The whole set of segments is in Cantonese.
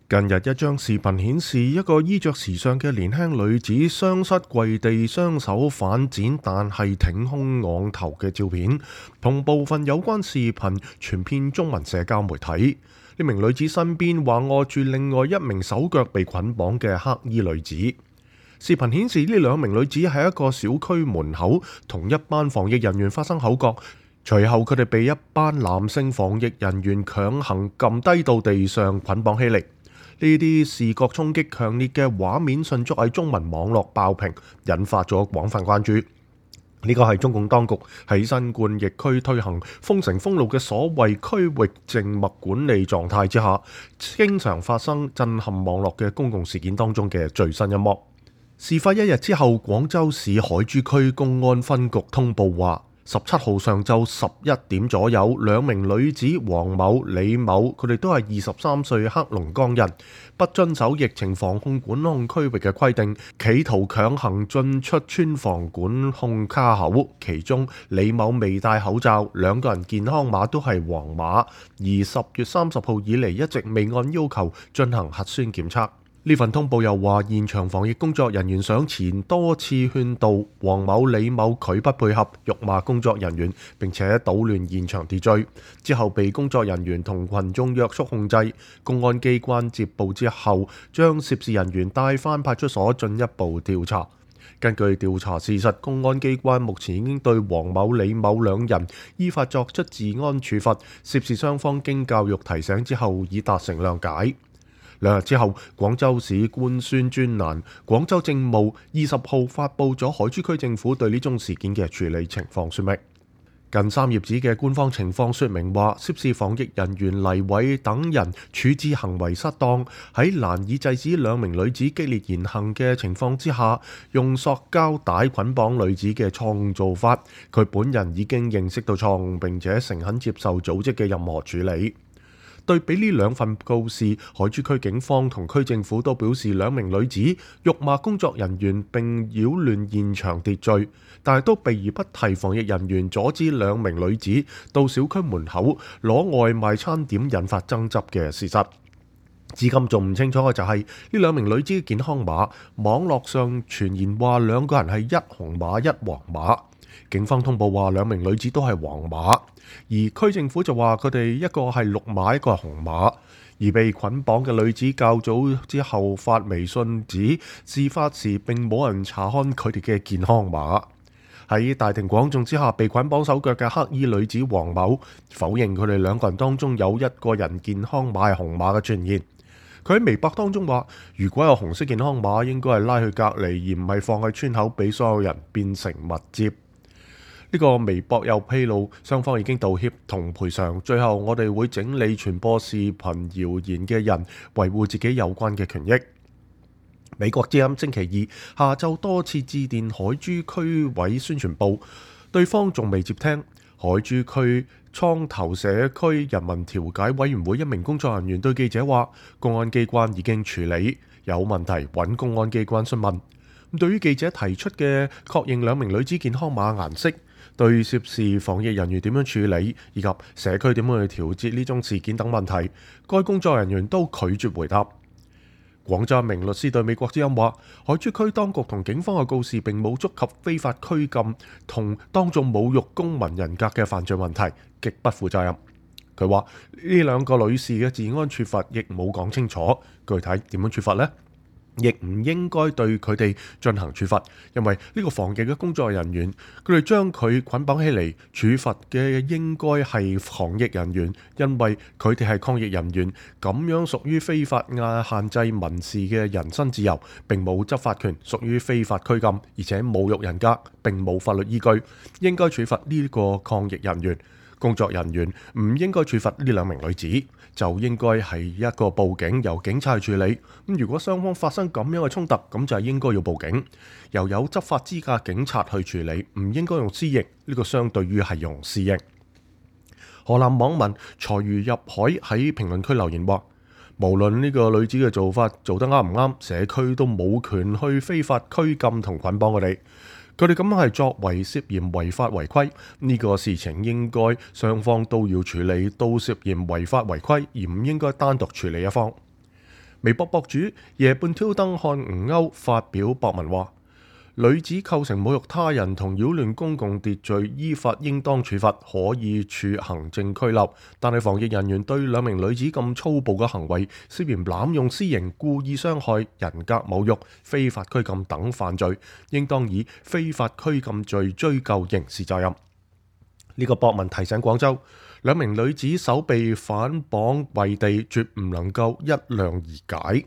近日一張視頻顯示，一個衣着時尚嘅年輕女子雙膝跪地，雙手反展，但係挺胸昂頭嘅照片，同部分有關視頻傳遍中文社交媒體。呢名女子身邊橫臥住另外一名手腳被捆綁嘅黑衣女子。視頻顯示呢兩名女子喺一個小區門口同一班防疫人員發生口角，隨後佢哋被一班男性防疫人員強行撳低到地上捆綁起嚟。呢啲視覺衝擊強烈嘅畫面迅速喺中文網絡爆屏，引發咗廣泛關注。呢個係中共當局喺新冠疫區推行封城封路嘅所謂區域靜默管理狀態之下，經常發生震撼網絡嘅公共事件當中嘅最新一幕。事發一日之後，廣州市海珠區公安分局通報話，17號上晝11點左右，兩名女子黃某、李某，佢哋都係23歲黑龍江人，不遵守疫情防控管控區域嘅規定，企圖強行進出村防管控卡口。其中李某未戴口罩，兩個人健康碼都係黃碼，而10月30號以嚟一直未按要求進行核酸檢測。呢份通報又話，現場防疫工作人員上前多次勸導黃某、李某拒不配合，辱罵工作人員，並且搗亂現場秩序。之後被工作人員同群眾約束控制。公安機關接報之後，將涉事人員帶返派出所進一步調查。根據調查事實，公安機關目前已經對黃某、李某兩人依法作出治安處罰。涉事雙方經教育提醒之後，已達成諒解。2日之後，廣州市官宣專欄廣州政務20號發布咗海珠區政府對呢宗事件嘅處理情況說明。近3頁紙嘅官方情況說明話，涉事防疫人員黎偉等人處置行為失當，喺難以制止兩名女子激烈言行嘅情況之下，用塑膠帶捆綁女子嘅錯誤做法。佢本人已經認識到錯誤，並且誠懇接受組織嘅任何處理。對比呢兩份告示，海珠區警方同區政府都表示兩名女子辱罵工作人員並擾亂現場秩序，但係都避而不提防疫人員阻止兩名女子到小區門口攞外賣餐點引發爭執嘅事實。至今仲唔清楚嘅就係呢兩名女子嘅健康碼，網絡上傳言話兩個人係一紅碼一黃碼。警方通報話兩名女子都係黃碼，而區政府就話佢哋一個係綠碼，一個係紅碼。而被捆綁嘅女子較早之後發微信指，事發時並冇人查看佢哋嘅健康碼。喺大庭廣眾之下被捆綁手腳嘅黑衣女子黃某否認佢哋兩個人當中有一個人健康碼係紅碼嘅傳言。佢喺微博當中話，如果有紅色健康碼，應該係拉去隔離，而唔係放喺村口俾所有人變成密接。呢個微博又披露，雙方已經道歉同賠償。最後，我哋會整理傳播視頻謠言嘅人，維護自己有關嘅權益。美國之音星期二下晝多次致電海珠區委宣傳部，對方仲未接聽。海珠區蒼頭社區人民調解委員會一名工作人員對記者話，公安機關已經處理，有問題揾公安機關詢問。對於記者提出嘅確認兩名女子健康碼顏色，對涉事防疫人員點樣處理，以及社區點樣去調節呢種事件等問題，該工作人員都拒絕回答。廣州一名律師對美國之音話，海珠區當局同警方嘅告示並冇觸及非法拘禁同當眾侮辱公民人格嘅犯罪問題，極不負責任。佢話呢兩個女士嘅治安處罰亦冇講清楚，具體點樣處罰呢？亦唔應該對佢哋進行處罰，因為呢個防疫嘅工作人員，佢哋將佢捆綁起嚟，處罰嘅應該係防疫人員，因為佢哋係抗疫人員，咁樣屬於非法限制民事嘅人身自由，並冇執法權，屬於非法拘禁，而且侮辱人格，並冇法律依據，應該處罰呢個抗疫人員。工作人員唔應該處罰呢兩名女子，就應該係一個報警，由警察去處理。咁如果雙方發生咁樣嘅衝突，咁就係應該要報警，由有執法資格警察去處理，唔應該用私刑。呢個相對於係用私刑。河南網民財如入海喺評論區留言話，無論呢個女子嘅做法做得啱唔啱，社區都冇權去非法拘禁同捆綁佢哋。佢哋咁樣係作為涉嫌違法違規，呢個事情應該雙方都要處理，都涉嫌違法違規，而唔應該單獨處理一方。微博博主夜半挑燈看吳歐發表博文話：女子構成侮辱他人同擾亂公共秩序，依法應當處罰，可以處行政拘留。但係防疫人員對兩名女子咁粗暴嘅行為，涉嫌濫用私刑、故意傷害、人格侮辱、非法拘禁等犯罪，應當以非法拘禁罪追究刑事責任。呢個博文提醒廣州，兩名女子手被反綁跪地，絕唔能夠一諒而解。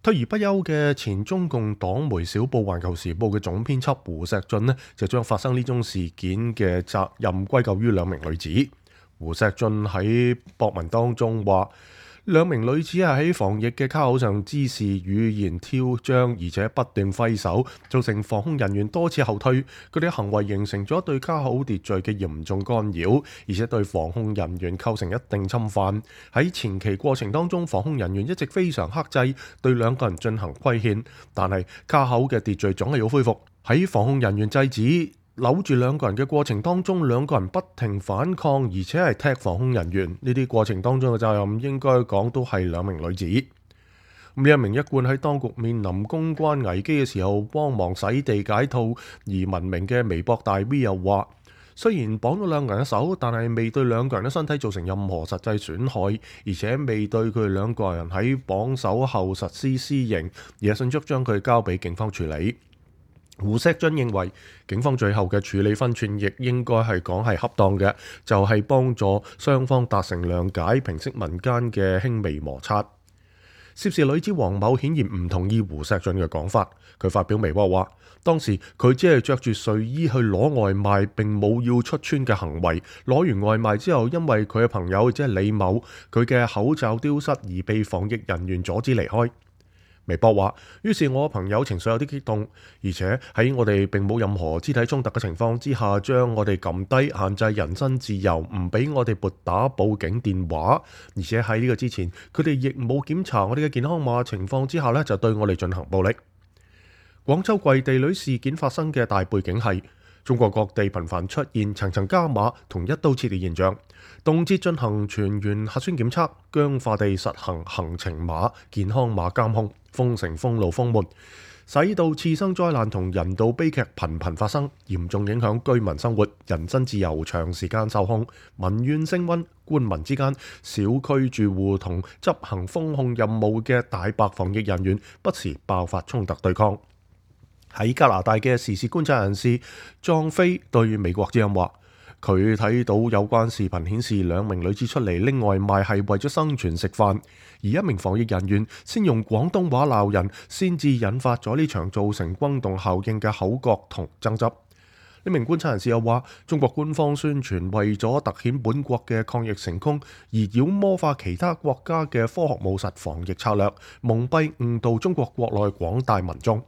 退而不休嘅前中共黨媒小報《環球時報》嘅總編輯胡錫進呢，就將發生呢宗事件嘅責任歸咎於兩名女子。胡錫進喺博文當中話：兩名女子係喺防疫嘅卡口上滋事，語言挑張，而且不斷揮手，造成防控人員多次後退。佢哋嘅行為形成咗對卡口秩序嘅嚴重干擾，而且對防控人員構成一定侵犯。喺前期過程當中，防控人員一直非常克制，對兩個人進行規勸，但係卡口嘅秩序總係要恢復。喺防控人員制止扭住兩個人嘅過程當中，兩個人不停反抗，而且係踢防控人員。呢啲過程當中嘅責任應該講都係兩名女子。呢一名一貫喺當局面臨公關危機嘅時候幫忙洗地解套而聞名嘅微博大 V 又話：雖然綁咗兩個人嘅手，但係未對兩個人嘅身體造成任何實際損害，而且未對佢哋兩個人喺綁手後實施私刑，而係迅速將佢交俾警方處理。胡錫進認為，警方最後嘅處理分寸亦應該係講係恰當嘅，就係幫助雙方達成諒解，平息民間嘅輕微摩擦。涉事女子黃某顯然唔同意胡錫進嘅講法，佢發表微博話：當時佢只係着住睡衣去攞外賣，並冇要出村嘅行為。攞完外賣之後，因為佢嘅朋友即係李某，佢嘅口罩丟失而被防疫人員阻止離開。微博話：於是我朋友情緒有啲激動，而且喺我哋並冇任何肢體衝突嘅情況之下，將我哋撳低，限制人身自由，唔俾我哋撥打報警電話。而且喺呢個之前，佢哋亦冇檢查我哋嘅健康碼情況之下呢，就對我哋進行暴力。廣州跪地女事件發生嘅大背景係中國各地頻繁出現層層加碼同一刀切嘅現象，動輒進行全員核酸檢測，僵化地實行行程碼、健康碼監控，封城封路封門，使到次生災難同人道悲劇頻頻發生，嚴重影響居民生活，人身自由長時間受控，民怨升溫，官民之間、小區住戶同執行封控任務嘅大白防疫人員不時爆發衝突對抗。喺加拿大嘅時事觀察人士莊飛對美國之音話：佢睇到有關視頻顯示兩名女子出嚟拎外賣係為咗生存食飯，而一名防疫人員先用廣東話鬧人，先至引發咗呢場造成轟動效應嘅口角同爭執。呢名觀察人士又話：中國官方宣傳為咗凸顯本國嘅抗疫成功，而妖魔化其他國家嘅科學務實防疫策略，蒙蔽誤導中國國內廣大民眾。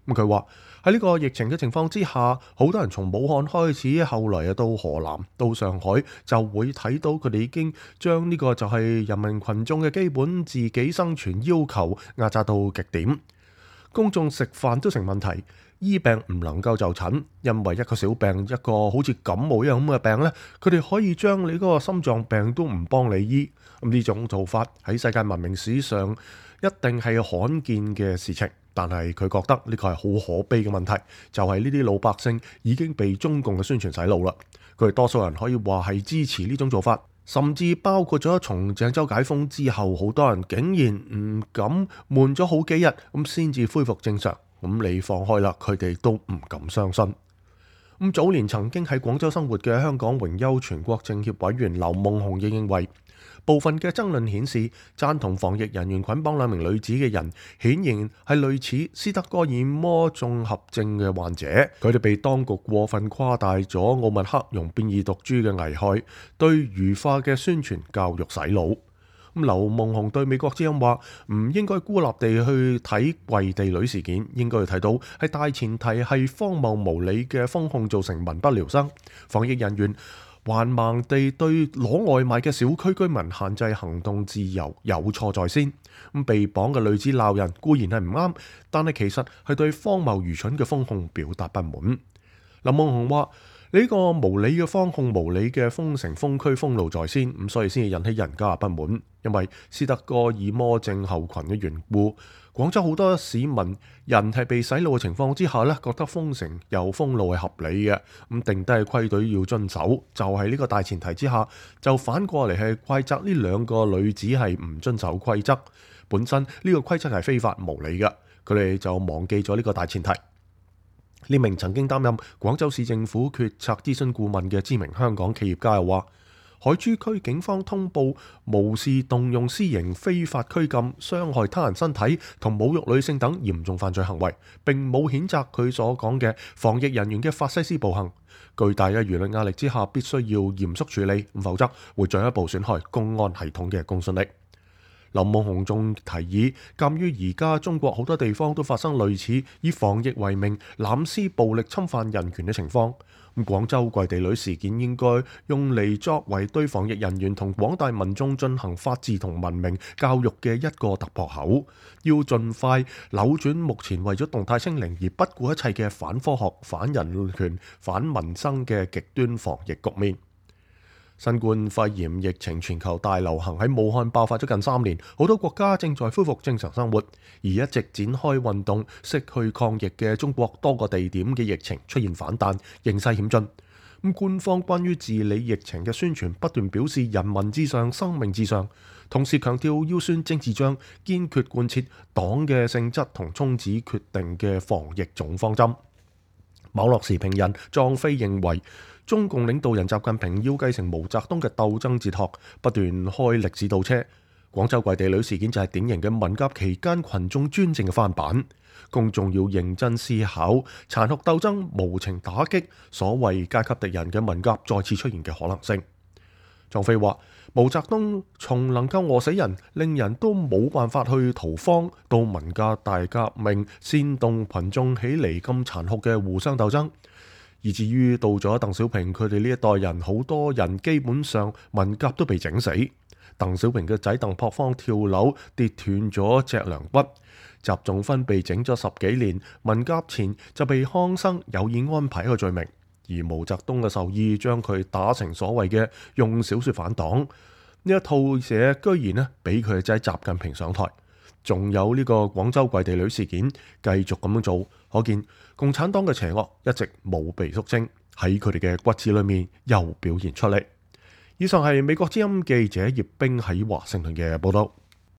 佢話喺呢個疫情嘅情況之下，好多人從武漢開始，後來到河南、到上海，就會睇到佢哋已經將呢個就係人民群眾嘅基本自己生存要求壓榨到極點。公眾食飯都成問題，醫病唔能夠就診，因為一個小病，一個好似感冒一樣咁嘅病呢，佢哋可以將你嗰個心臟病都唔幫你醫。咁呢種做法喺世界文明史上一定係罕見嘅事情。但係佢覺得呢個係好可悲嘅問題，就係呢啲老百姓已經被中共嘅宣傳洗腦啦。佢哋多數人可以話係支持呢種做法，甚至包括咗從鄭州解封之後，好多人竟然唔敢悶咗好幾日咁先至恢復正常。咁你放開啦，佢哋都唔敢相信。咁早年曾經喺廣州生活嘅香港榮休全國政協委員劉夢熊亦認為，部分嘅爭論顯示，贊同防疫人員捆綁兩名女子嘅人，顯然係類似斯德哥爾摩綜合症嘅患者。佢哋被當局過分誇大咗奧密克戎變異毒株嘅危害，對愚化嘅宣傳教育洗腦。咁劉夢熊對美國之音話：唔應該孤立地去睇跪地女事件，應該去睇到係大前提係荒謬無理嘅封控造成民不聊生，防疫人員橫蠻地對攞外賣嘅小區居民限制行動自由有錯在先。咁被綁嘅女子鬧人固然係唔啱，但係其實係對荒謬愚蠢嘅封控表達不滿。劉夢熊話：呢個無理嘅封控、無理嘅封城、封區、封路在先，咁所以先至引起人家不滿。因為斯德哥爾摩症候群嘅緣故，廣州好多市民人係被洗腦嘅情況之下呢，覺得封城又封路係合理嘅，咁定低規矩要遵守，就係呢個大前提之下，就反過嚟係怪責呢兩個女子係唔遵守規則。本身呢個規則係非法無理嘅，佢哋就忘記咗呢個大前提。呢名曾經擔任廣州市政府決策諮詢顧問嘅知名香港企業家又話，海珠區警方通報無視動用私刑非法拘禁、傷害他人身體同侮辱女性等嚴重犯罪行為，並冇譴責佢所講嘅防疫人員嘅法西斯暴行。巨大嘅輿論壓力之下，必須要嚴肅處理，否則會進一步損害公安系統嘅公信力。林夢熊仲提議，鑑於而家中國好多地方都發生類似以防疫為名濫施暴力侵犯人權嘅情況，咁廣州跪地女事件應該用嚟作為對防疫人員同廣大民眾進行法治同文明教育嘅一個突破口，要盡快扭轉目前為咗動態清零而不顧一切嘅反科學、反人權、反民生嘅極端防疫局面。新冠肺炎疫情全球大流行喺武漢爆發咗近3年，好多國家正在恢復正常生活，而一直展開運動識去抗疫嘅中國多個地點嘅疫情出現反彈，形勢險峻。咁官方關於治理疫情嘅宣傳不斷表示人民至上、生命至上，同時強調要算政治帳，堅決貫徹黨嘅性質同宗旨決定嘅防疫總方針。網絡時評人莊飛認為，中共領導人習近平要繼承毛澤東嘅鬥爭哲學，不斷開歷史倒車。廣州跪地女事件就係典型嘅文革期間群眾專政嘅翻版。公眾要認真思考，殘酷鬥爭無情打擊所謂階級敵人嘅文革再次出現嘅可能性。莊飛話，毛澤東從能夠餓死人，令人都冇辦法去逃荒，到文革大革命煽動群眾起嚟咁殘酷嘅互相鬥爭。以至於到咗鄧小平佢哋呢一代人，好多人基本上文革都被整死。鄧小平嘅仔鄧樸方跳樓跌斷咗脊梁骨，習仲勳被整咗10幾年，文革前就被康生有意安排一個罪名，而毛澤東嘅授意將佢打成所謂嘅用小說反黨。呢一套嘢居然呢俾佢嘅仔習近平上台。仲有呢個廣州跪地女事件繼續咁樣做，可見共產黨嘅邪惡一直冇被肅清，喺佢哋嘅骨子裏面又表現出嚟。以上係美國之音記者葉冰喺華盛頓嘅報道。